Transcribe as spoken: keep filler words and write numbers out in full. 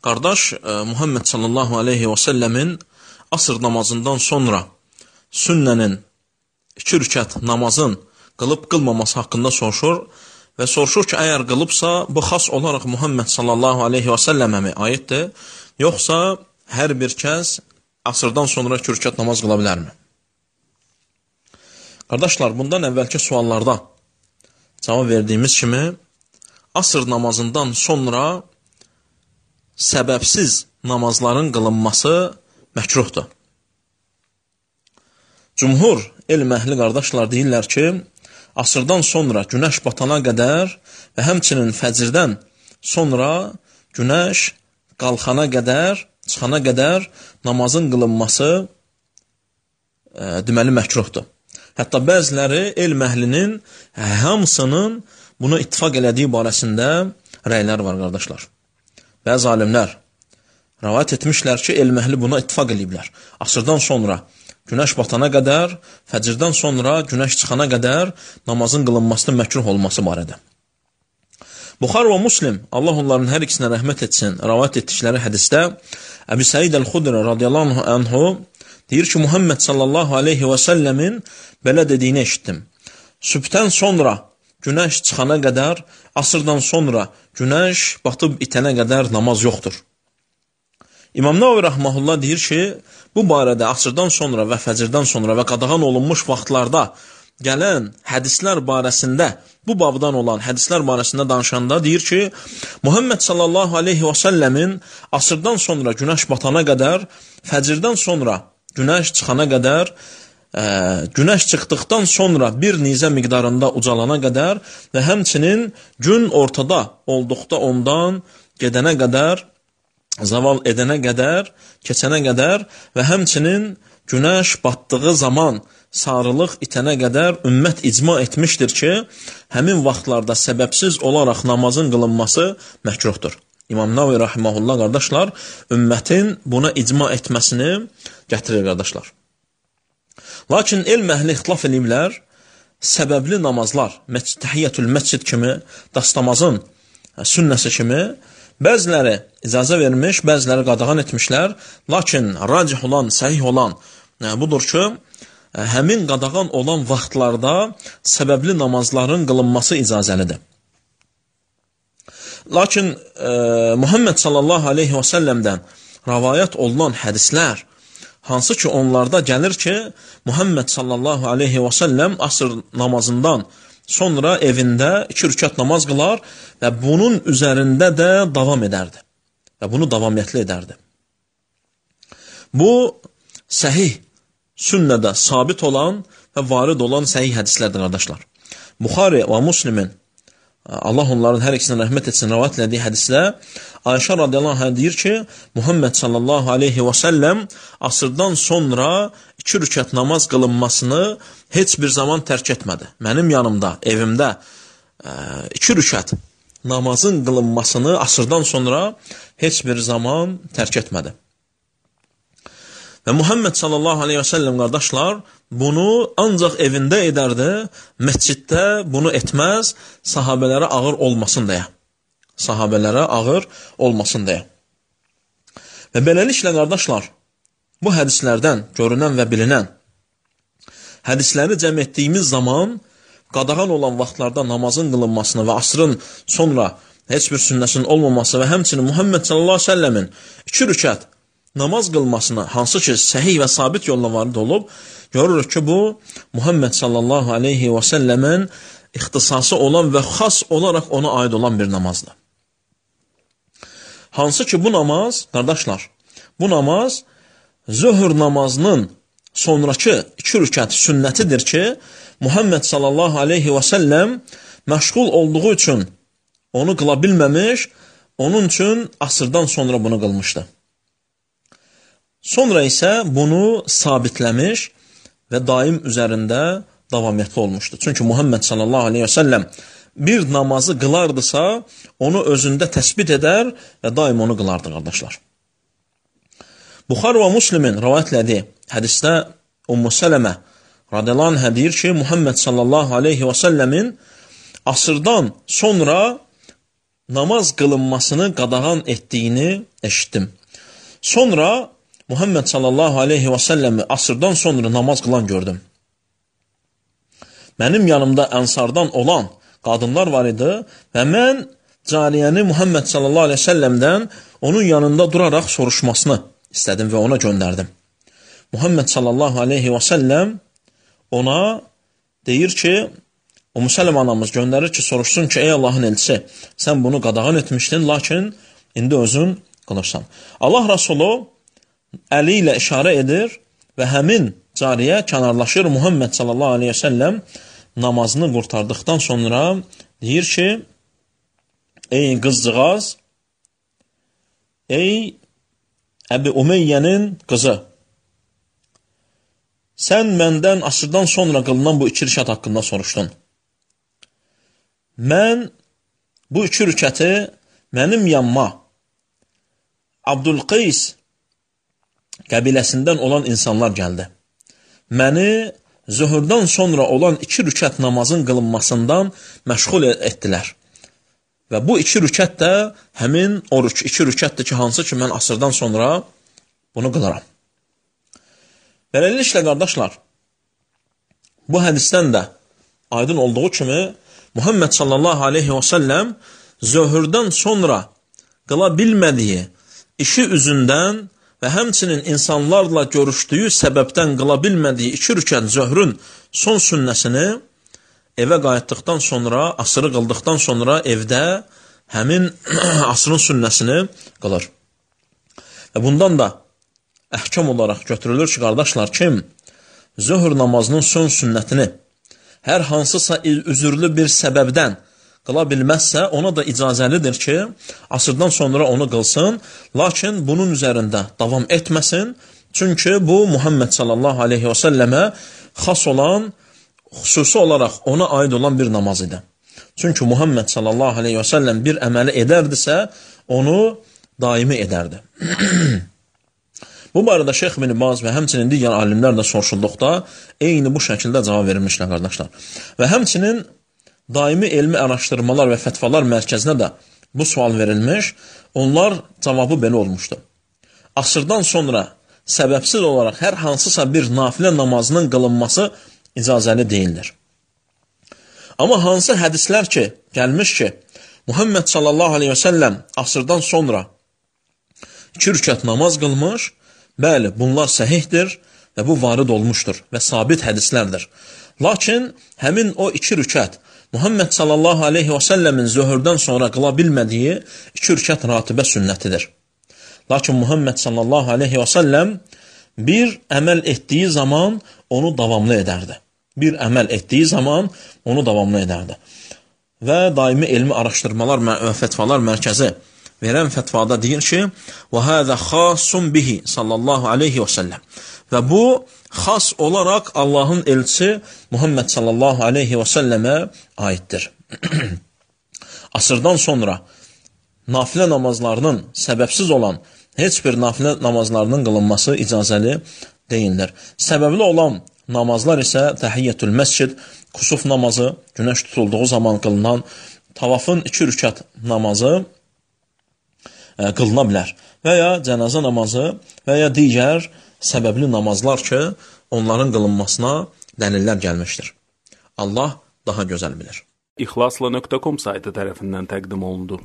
Qardaş, Muhammed sallallahu aleyhi və səlləmin asr namazından sonra sünnənin iki rükət namazın qılıb qılmaması haqqında soruşur və soruşur ki, əgər qılıbsa, bu xas olaraq Muhammed sallallahu aleyhi və səlləmə mi aiddir, yoxsa hər bir kəs asrdan sonra iki rükət namaz qıla bilərmi? Qardaşlar, bundan əvvəlki suallarda cavab verdiyimiz kimi, asr namazından sonra səbəbsiz namazların qılınması məkruhdur. Cümhur elm əhli qardaşlar deyirlər ki, asrdan sonra günəş batana qədər və həmçinin fəcrdən sonra günəş qalxana qədər, çıxana qədər namazın qılınması e, deməli məkruhdur. Hətta bəziləri elm əhlinin hamısının buna ittifaq elədiyi barəsində rəylər var qardaşlar. Bəzi alimlər rəvayət etmişlər ki, elm əhli buna ittifaq eləyiblər. Asrdan sonra günəş batana qədər, fəcrdən sonra günəş çıxana qədər namazın qılınmasının məkruh olması barədə. Buxar və Muslim, Allah onların hər ikisinə rəhmət etsin, rəvayət etdikləri hədisdə Əbu Səid əl-Xudri radiyallahu anhu deyir ki, Muhammed sallallahu aleyhi və səlləmin belə dediyini eşitdim. Sübhdən sonra günəş çıxana qədər, asrdan sonra günəş batıb itənə qədər namaz yoxdur. İmam Nəvavi rəhməhullah deyir ki, bu barədə asrdan sonra və fəcrdən sonra və qadağan olunmuş vaxtlarda gələn hədislər barəsində, bu babdan olan hədislər barəsində danışanda deyir ki, Muhammed sallallahu aleyhi və səlləmin asrdan sonra günəş batana qədər, fəcrdən sonra günəş çıxana qədər, ə, günəş çıxdıqdan sonra bir nizə miqdarında ucalana qədər və həmçinin gün ortada olduqda ondan gedənə qədər, zaval edənə qədər, keçənə qədər və həmçinin günəş batdığı zaman sarılıq itənə qədər ümmət icma etmişdir ki, həmin vaxtlarda səbəbsiz olaraq namazın qılınması məkruhdur. İmam Nəvavi rahimehullah qardaşlar, ümmətin buna icma etməsini gətirir qardaşlar. Lakin elm əhli ixtilaf ediblər, səbəbli namazlar, təhiyyətül məscid kimi, dastamazın sünnəsi kimi, bəziləri icazə vermiş, bəziləri qadağan etmişlər, lakin racih olan, səhih olan budur ki, həmin qadağan olan vaxtlarda səbəbli namazların qılınması icazəlidir. Lakin e, Muhammed sallallahu aleyhi və səlləmdən rəvayət olunan hədislər, hansı ki onlarda gəlir ki, Muhammed sallallahu aleyhi və səlləm asr namazından sonra evində iki rükət namaz qılar və bunun üzərində də davam edərdi. Və bunu davamiyyətli edərdi. Bu, səhih, sünnədə sabit olan və varid olan səhih hədislərdir, qardaşlar. Buxari və Muslimin, Allah onların hər ikisinə rəhmət etsin, rəvayət elədiyi hədisdə Ayşə radiyallahu anh deyir ki, Muhammed sallallahu aleyhi və səlləm asrdan sonra iki rükət namaz qılınmasını heç bir zaman tərk etmədi. Mənim yanımda, evimdə iki rükət namazın qılınmasını asrdan sonra heç bir zaman tərk etmədi. Və Muhammed sallallahu aleyhi və səlləm qardaşlar bunu ancaq evində edərdi, məsciddə bunu etməz, sahabələrə ağır olmasın deyə. Sahabələrə ağır olmasın deyə. Və beləliklə qardaşlar, bu hədislərdən görünən və bilinən hədisləri cəm etdiyimiz zaman qadağan olan vaxtlarda namazın qılınmasını və asrın sonra heç bir sünnəsinin olmaması və həmçinin Muhammed sallallahu aleyhi və səlləmin iki rükət namaz qılmasına, hansı ki səhih və sabit yolla varid olub, görürük ki, bu Muhammed sallallahu aleyhi və səlləmin ixtisası olan və xas olaraq ona aid olan bir namazdır. Hansı ki bu namaz, qardaşlar, bu namaz zöhr namazının sonraki iki rükət sünnətidir ki, Muhammed sallallahu aleyhi və səlləm məşğul olduğu üçün onu qıla bilməmiş, onun üçün asrdan sonra bunu qılmışdı. Sonra isə bunu sabitləmiş və daim üzərində davamiyyətli olmuşdu. Çünki Muhammed sallallahu aleyhi və səlləm bir namazı qılardısa, onu özündə təsbit edər və daim onu qılardı, qardaşlar. Buxar və Muslimin rəvayətlədiyi hədisdə Ümmü Sələmə radiyallahu anh deyir ki, Muhammed sallallahu aleyhi və səlləmin asrdan sonra namaz qılınmasını qadağan etdiyini eşitdim. Sonra Muhammed sallallahu aleyhi və səlləmi asırdan sonra namaz qılan gördüm. Mənim yanımda ənsardan olan qadınlar var idi və mən cariyəni Muhammed sallallahu aleyhi və səlləmdən onun yanında duraraq soruşmasını istədim və ona göndərdim. Muhammed sallallahu aleyhi və səlləm ona deyir ki, o Müsələm anamız göndərir ki, soruşsun ki, ey Allahın elçisi, sən bunu qadağan etmişdin, lakin indi özün qılırsan. Allah Rasulü əli ilə işarə edir və həmin cariyə kənarlaşır. Muhammed sallallahu aleyhi və səlləm namazını qurtardıqdan sonra deyir ki, ey qızcığaz, ey Əbi Umeyyənin qızı, sən məndən asırdan sonra qılınan bu iki rükət haqqında soruşdun. Mən bu iki rükəti mənim yanıma Abdülqeys qəbiləsindən olan insanlar gəldi. Məni zöhrdən sonra olan iki rükət namazın qılınmasından məşğul etdilər. Və bu iki rükət də həmin o iki rükətdir ki, hansı ki, mən asırdan sonra bunu qılaram. Beləliklə, qardaşlar, bu hədisdən də aydın olduğu kimi, Muhammed sallallahu aleyhi və səlləm zöhrdən sonra qıla bilmədiyi işi üzündən və həmçinin insanlarla görüşdüyü səbəbdən qıla bilmədiyi iki rükət zöhrün son sünnəsini evə qayıtdıqdan sonra, asırı qıldıqdan sonra evdə həmin asrın sünnəsini qılır. Və bundan da əhkam olaraq götürülür ki, qardaşlar, kim zöhr namazının son sünnətini hər hansısa üzürlü bir səbəbdən qıla bilməzsə, ona da icazəlidir ki, asırdan sonra onu qılsın, lakin bunun üzərində davam etməsin, çünki bu Muhammed sallallahu aleyhi və səlləmə xas olan, xüsusi olaraq ona aid olan bir namaz idi. Çünki Muhammed sallallahu aleyhi və səlləm bir əməli edərdisə, onu daimi edərdi. Bu barədə Şeyx ibn Baz və həmçinin digər alimlər də soruşulduqda eyni bu şəkildə cavab verilmişlər, qardaşlar. Və həmçinin daimi elmi araşdırmalar və fətvalar mərkəzinə də bu sual verilmiş, onlar cavabı belə olmuşdu. Asırdan sonra səbəbsiz olaraq hər hansısa bir nafilə namazının qılınması icazəli deyildir. Amma hansı hədislər ki, gəlmiş ki, Muhammed sallallahu aleyhi və səlləm asırdan sonra iki rükət namaz qılmış, bəli, bunlar səhihdir və bu varid olmuşdur və sabit hədislərdir. Lakin həmin o iki rükət Muhammed sallallahu aleyhi və səlləmin zöhrdən sonra qıla bilmədiyi iki rükət ratibə sünnətidir. Lakin Muhammed sallallahu aleyhi və səlləm bir əməl etdiyi zaman onu davamlı edərdi. Bir əməl etdiyi zaman onu davamlı edərdi. Və daimi elmi araşdırmalar və fətvalar mərkəzi verən fətvada deyir ki, وَهَذَا خَاسٌ بِهِ sallallahu aleyhi və səlləm. Və bu, xas olaraq Allahın elçisi Muhammed sallallahu aleyhi və səlləmə aiddir. Asırdan sonra nafilə namazlarının səbəbsiz olan heç bir nafilə namazlarının qılınması icazəli deyildir. Səbəbli olan namazlar isə təhiyyətül məscid, kusuf namazı, günəş tutulduğu zaman qılınan, tavafın iki rükət namazı qılına bilər və ya cənazə namazı və ya digər səbəbli namazlar ki, onların qılınmasına dəlillər gəlmişdir. Allah daha gözəl bilir. İxlasla nöqtə com saytı tərəfindən təqdim olundu.